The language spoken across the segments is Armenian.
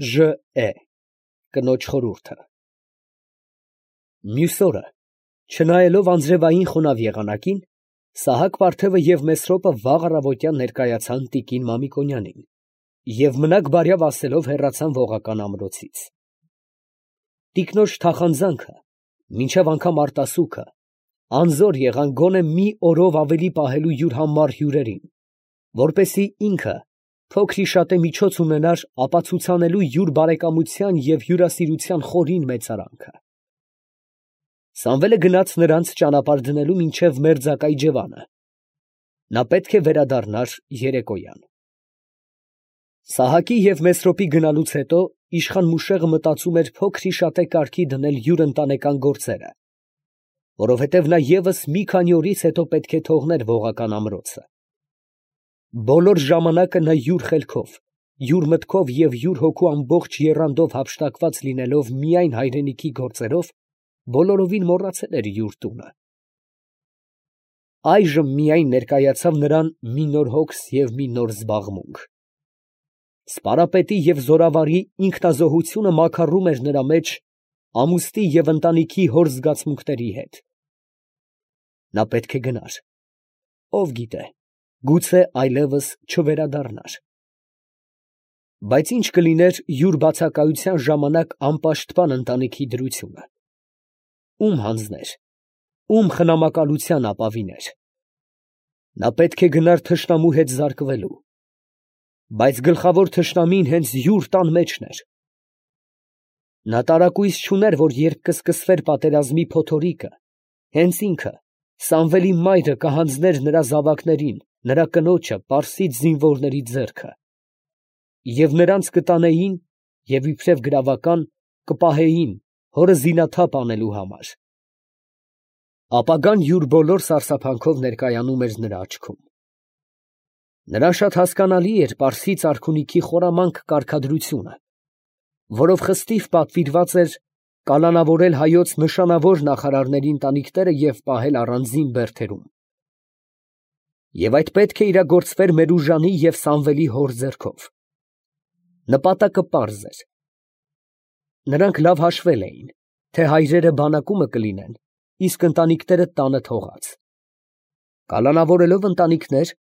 Ժ. Կնոջ խորհուրդը։ Մյուս օրը, չնայելով անձրևային խոնավ եղանակին, Սահակ֊Վարդևը և Մեսրոպը վաղ առավոտյան ներկայացան տիկին Մամիկոնյանին և մնաք֊բարյավ ասելով հեռացան ողական ամրոցից։ Տիկնոջ թախանձանքը, մինչև անգամ արտասուքը, անզոր եղան գոնե մի օրով ավելի պահելու յուր համառ հյուրերին, որպեսզի ինքը փոքր-ի-շատե միջոց ունենար ապացուցանելու յուր բարեկամության և հյուրասիրության խորին մեծարանքը։ Սամվելը գնաց նրանց ճանապարհ դնելու մինչև մերձակա իջևանը. նա պետք է վերադառնար երեկոյան։ Սահակի և Մեսրոպի գնալուց հետո իշխան Մուշեղը մտածում էր փոքր-ի-շատե կարգի դնել յուր ընտանեկան գործերը, որովհետև նա ևս մի քանի օրից հետո պետք է թողներ ողական ամրոցը։ Բոլոր ժամանակը նա յուր խելքով, յուր մտքով և յուր հոգու ամբողջ եռանդով հափշտակված լինելով միայն հայրենիքի գործերով, բոլորովին մոռացել էր յուր տունը։ Այժմ միայն ներկայացավ նրան մի նոր հոգս և մի նոր զբաղմունք։ Սպարապետի և զորավարի ինքնազոհությունը մաքարում էր նրա մեջ ամուսնի և ընտանիքի հոր զգացմունքների հետ։ Նա պետք է գնար, ով գիտե, գուցե այլևս չվերադառնար։ Բայց ի՞նչ կլիներ յուր բացակայության ժամանակ անպաշտպան ընտանիքի դրությունը, ո՞ւմ հանձներ, ո՞ւմ խնամակալության ապավիներ։ Նա պետք է գնար թշնամու հետ զարկվելու, բայց գլխավոր թշնամին հենց յուր տան մեջն էր։ Նա տարակույս չուներ, որ երբ կսկսվեր պատերազմի փոթորիկը, հենց ինքը, Սամվելի մայրը կհանձներ նրա զավակներին, նրա կնոջը, պարսից զինվորների ձեռքը, և նրանց կտանեին և իբրև գրավական կպահեին հորը զինաթափ անելու համար։ Ապագան յուր բոլոր սարսափանքով ներկայանում էր նրա աչքում։ Նրան շատ հասկանալի էր պարսից արքունիքի խորամանկ կարգադրությունը, որով խստիվ պատվիրված էր կալանավորել հայոց նշանավոր նախարարների ընտանիքները և պահել առանձին բերդերում։ Եվ այդ պետք է իրագործվեր Մերուժանի և Սամվելի հոր ձեռքով։ Նպատակը պարզ էր։ Նրանք լավ հաշվել էին, թե հայրերը բանակումը կլինեն, իսկ ընտանիքները տանը թողած։ Կալանավորելով ընտանիքներ,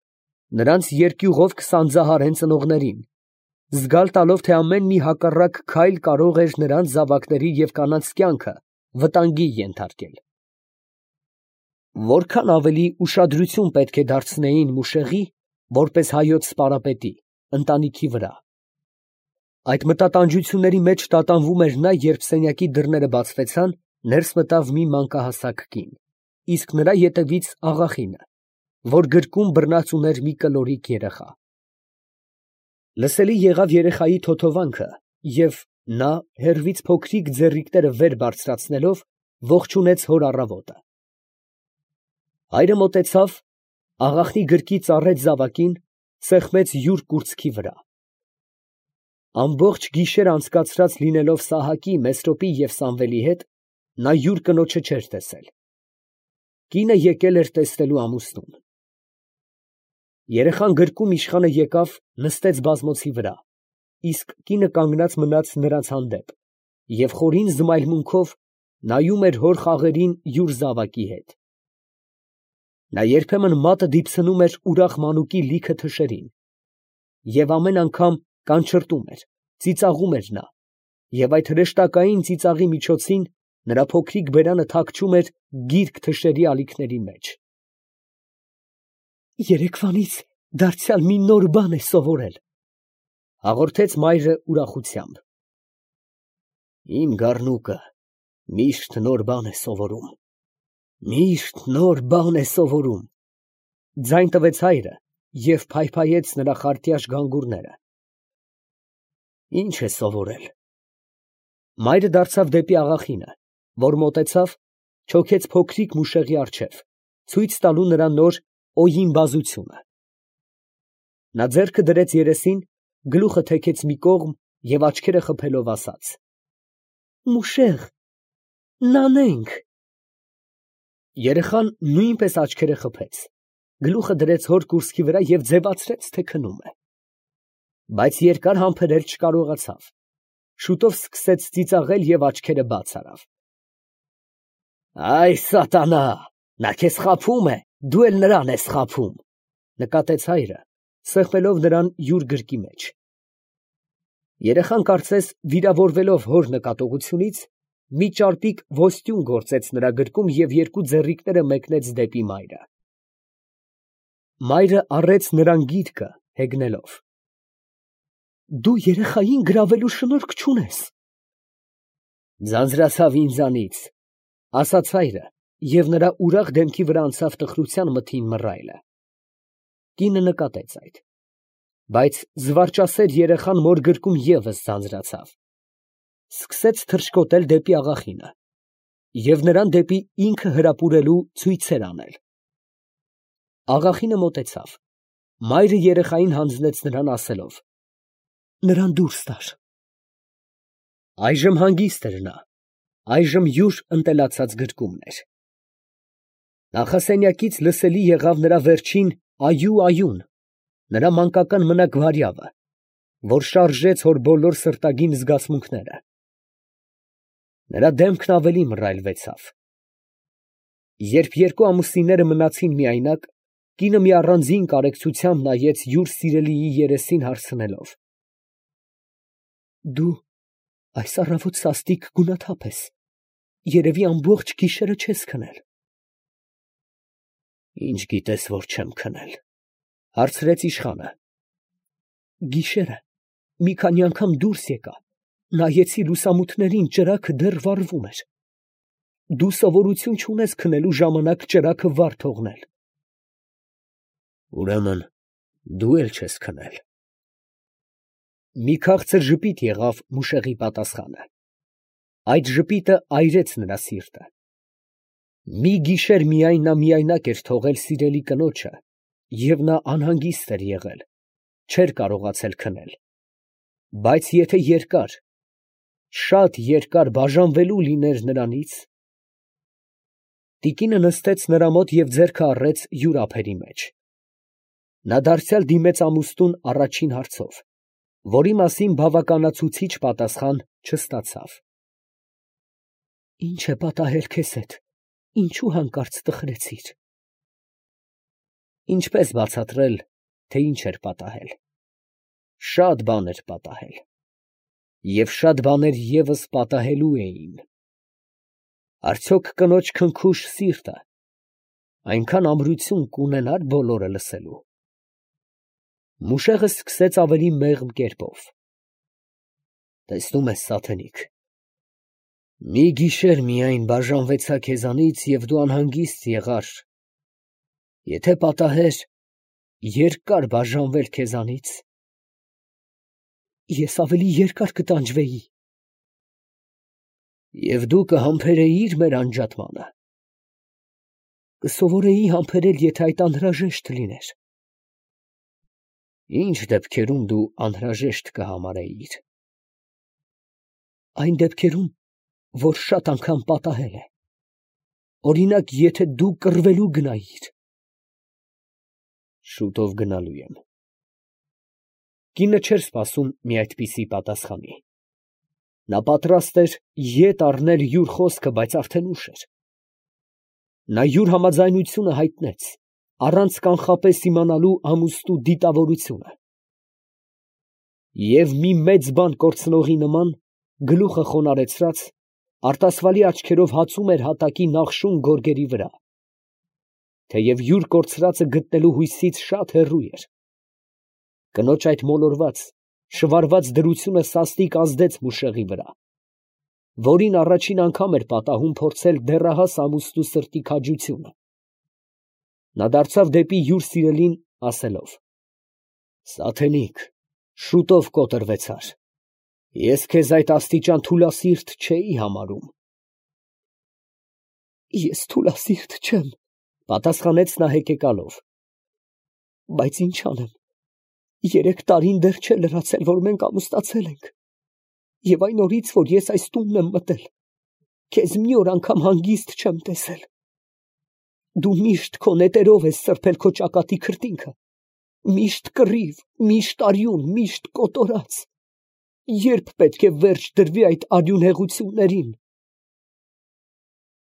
նրանց երկյուղով կսանձահարեն ծնողներին, զգալ տալով, թե ամեն մի հակառակ քայլ կարող էր նրանց զավակների և կանանց կյանքը վտանգի ենթարկել։ Որքան ավելի ուշադրություն պետք է դարձնեին Մուշեղի, որպես հայոց սպարապետի, ընտանիքի վրա։ Այդ մտատանջությունների մեջ տատանվում էր նա, երբ սենյակի դռները բացվեցան, ներս մտավ մի մանկահասակ կին, իսկ նրա ետևից աղախինը, որ գրկում բռնած ուներ մի կլորիկ երեխա։ Լսելի եղավ երեխայի թոթովանքը, և նա, հեռվից փոքրիկ ձեռիկները վեր բարձրացնելով, ողջունեց հոր առավոտը։ Հայրը մոտեցավ, աղախնի գրկից առեց զավակին, սեղմեց յուր կուրծքի վրա։ Ամբողջ գիշեր անցկացրած լինելով Սահակի, Մեսրոպի և Սամվելի հետ, նա յուր կնոջը չէր տեսել։ Կինը եկել էր տեսնելու ամուսնուն։ Երեխան գրկում իշխանը եկավ, նստեց բազմոցի վրա, իսկ կինը կանգնած մնաց նրանց հանդեպ և խորին զմայլմունքով նայում էր հոր խաղերին յուր զավակի հետ։ Նա երբեմն մատը դիպցնում էր ուրախ մանուկի լիքը թշերին, և ամեն անգամ կանչրտում էր, ծիծաղում էր նա, և այդ հրեշտակային ծիծաղի միջոցին նրա փոքրիկ բերանը թաքչում էր գիրկ թշերի ալիքների մեջ։ «Երեկվանից դարձյալ մի նոր բան է սովորել», ֊ հաղորդեց մայրը ուրախությամբ։ «Իմ գառնուկը միշտ նոր բան է սովորում, միշտ նոր բան է սովորում», ֊ ձայն տվեց հայրը և փայփայեց նրա խարտյաշ գանգուրները։ «Ի՞նչ է սովորել»։ Մայրը դարձավ դեպի աղախինը, որ մոտեցավ, չոքեց փոքրիկ Մուշեղի առջև, ցույց տալու նրան նոր օյին֊բազությունը։ Նա ձեռքը դրեց երեսին, գլուխը թեքեց մի կողմ և աչքերը խփելով ասաց. «Մուշեղ, նանենք»։ Երեխան նույնպես աչքերը խփեց, գլուխը դրեց հոր կուրծքի վրա և ձևացրեց, թե քնում է։ Բայց երկար համբերել չկարողացավ, Շուտով սկսեց ծիծաղել և աչքերը բաց արավ։ Այ սատանա, նա քեզ խաբում է, դու էլ նրան ես խաբում, նկատեց հայրը, սեղմելով նրան յուր գրկի մեջ։ Երեխան կարծես վիրավորվելով հոր նկատողությունից, մի ճարպիկ ոստյուն գործեց նրա գրկում և երկու ձեռիկները մեկնեց դեպի մայրը։ Մայրը առեց նրան գիրկը, հեգնելով. Դու երեխային գրավելու շնորք չունես։ Ձանձրացավ ինձանից, ասաց հայրը, և նրա ուրախ դեմքի վրա անցավ տխրության մթին մռայլը։ Կինը նկատեց այդ, բայց զվարճասեր երեխան մոր գրկում ևս ձանձրացավ, սկսեց թռչկոտել դեպի աղախինը և նրան դեպի ինքը հրապուրելու ցույցեր անել։ Աղախինը մոտեցավ, մայրը երեխային հանձնեց նրան ասելով. Նրան դուրս տար։ Այժմ հանգիստ էր նա, այժմ յուր ընտելացած գրկումն էր։ Նախասենյակից լսելի եղավ նրա վերջին այու, նրա մանկական մնակ վարյավը, որ շարժեց հոր բոլոր սրտագին զգացմունքները։ Նրա դեմքն ավելի մռայլվեցավ։ Երբ երկու ամուսինները մնացին միայնակ, կինը մի առանձին կարեկցությամբ նայեց յուր սիրելիի երեսին հարցնելով. Դու այս առավոտ սաստիկ գունաթափ ես, երևի ամբողջ գիշերը չես քնել։ Ինչ գիտես, որ չեմ քնել, հարցրեց իշխանը։ Գիշերը մի քանի անգամ դուրս եկա, նայեցի լուսամուտներին, ճրագը դեռ վառվում էր։ Դու սովորություն չունես քնելու ժամանակ ճրագը վառ թողնել։ Ուրեմն դու էլ չես քնել։ Մի քաղցր ժպիտ եղավ Մուշեղի պատասխանը։ Այդ ժպիտը այրեց նրա սիրտը։ Մի գիշեր միայն նա միայնակ էր թողել սիրելի կնոջը, և նա անհանգիստ էր եղել, չէր կարողացել քնել։ Բայց եթե երկար, շատ երկար բաժանվելու լիներ նրանից… Տիկինը նստեց նրա մոտ և ձեռքը առեց յուր ափերի մեջ։ Նա դարձյալ դիմեց ամուստուն առաջին հարցով, որի մասին բավականացուցիչ պատասխան չստացավ։ Ի՞նչ է պատահել քեզ հետ, ինչու հանկարծ տխրեցիր։ Ինչպես բացատրել, թե ինչ էր պատահել։ Շատ բան էր պատահել, և շատ բաներ ևս պատահելու էին։ Արդյոք կնոջ քնքուշ սիրտը այնքան ամրություն կունենա՞ր բոլորը լսելու։ Մուշեղը սկսեց ավելի մեղմ կերպով. Տեսնում ես, սատանիկ, մի գիշեր միայն բաժանվեցա քեզանից, և դու անհանգիստ եղար. եթե պատահեր երկար բաժանվել քեզանից, ես ավելի երկար կտանջվեի։ Եվ դու կհամբերեիր մեր անջատմանը։ Կսովորեի համբերել, եթե այդ անհրաժեշտ լիներ։ Ինչ դեպքերում դու անհրաժեշտ կհամարեիր։ Այն դեպքերում, որ շատ անգամ պատահել է։ Օրինակ, եթե դու կռվելու գնայիր։ Շուտով գնալու եմ։ Կինը չէր սպասում մի այդպիսի պատասխանի։ Նա պատրաստ էր ետ առնել յուր խոսքը, բայց արդեն ուշ էր։ Նա յուր համաձայնությունը հայտնեց, առանց կանխապես իմանալու ամուստու դիտավորությունը։ Եվ մի մեծ բան կորցնողի նման, գլուխը խոնարհեցրած, արտասվալի աչքերով հացում էր հատակի նախշուն գորգերի վրա, թեև յուր կորցրածը գտնելու հույսից շատ հեռու էր։ Կնոջ այդ մոլորված, շվարված դրությունը սաստիկ ազդեց Մուշեղի վրա, որին առաջին անգամ էր պատահում փորձել դեռահաս ամուսնու սրտի քաջությունը։ Նա դարձավ դեպի յուր սիրելին, ասելով. Սատանիկ, շուտով կոտրվեցար։ Ես քեզ այդ աստիճան թուլասիրտ չէի համարում։ Ես թուլասիրտ չեմ, պատասխանեց նա հեկեկալով, բայց ինչ անեմ, 3 տարին դեռ չէ լրացել, որ մենք ամուսնացել ենք, և այն օրից, որ ես այս տունն եմ մտել, քեզ մի օր անգամ հանգիստ չեմ տեսել։ Դու միշտ քո նետերով ես սրբել քո ճակատի քրտինքը, միշտ կռիվ, միշտ արյուն, միշտ կոտորած, Ե՞րբ պետք է վերջ դրվի այդ արյունհեղություններին։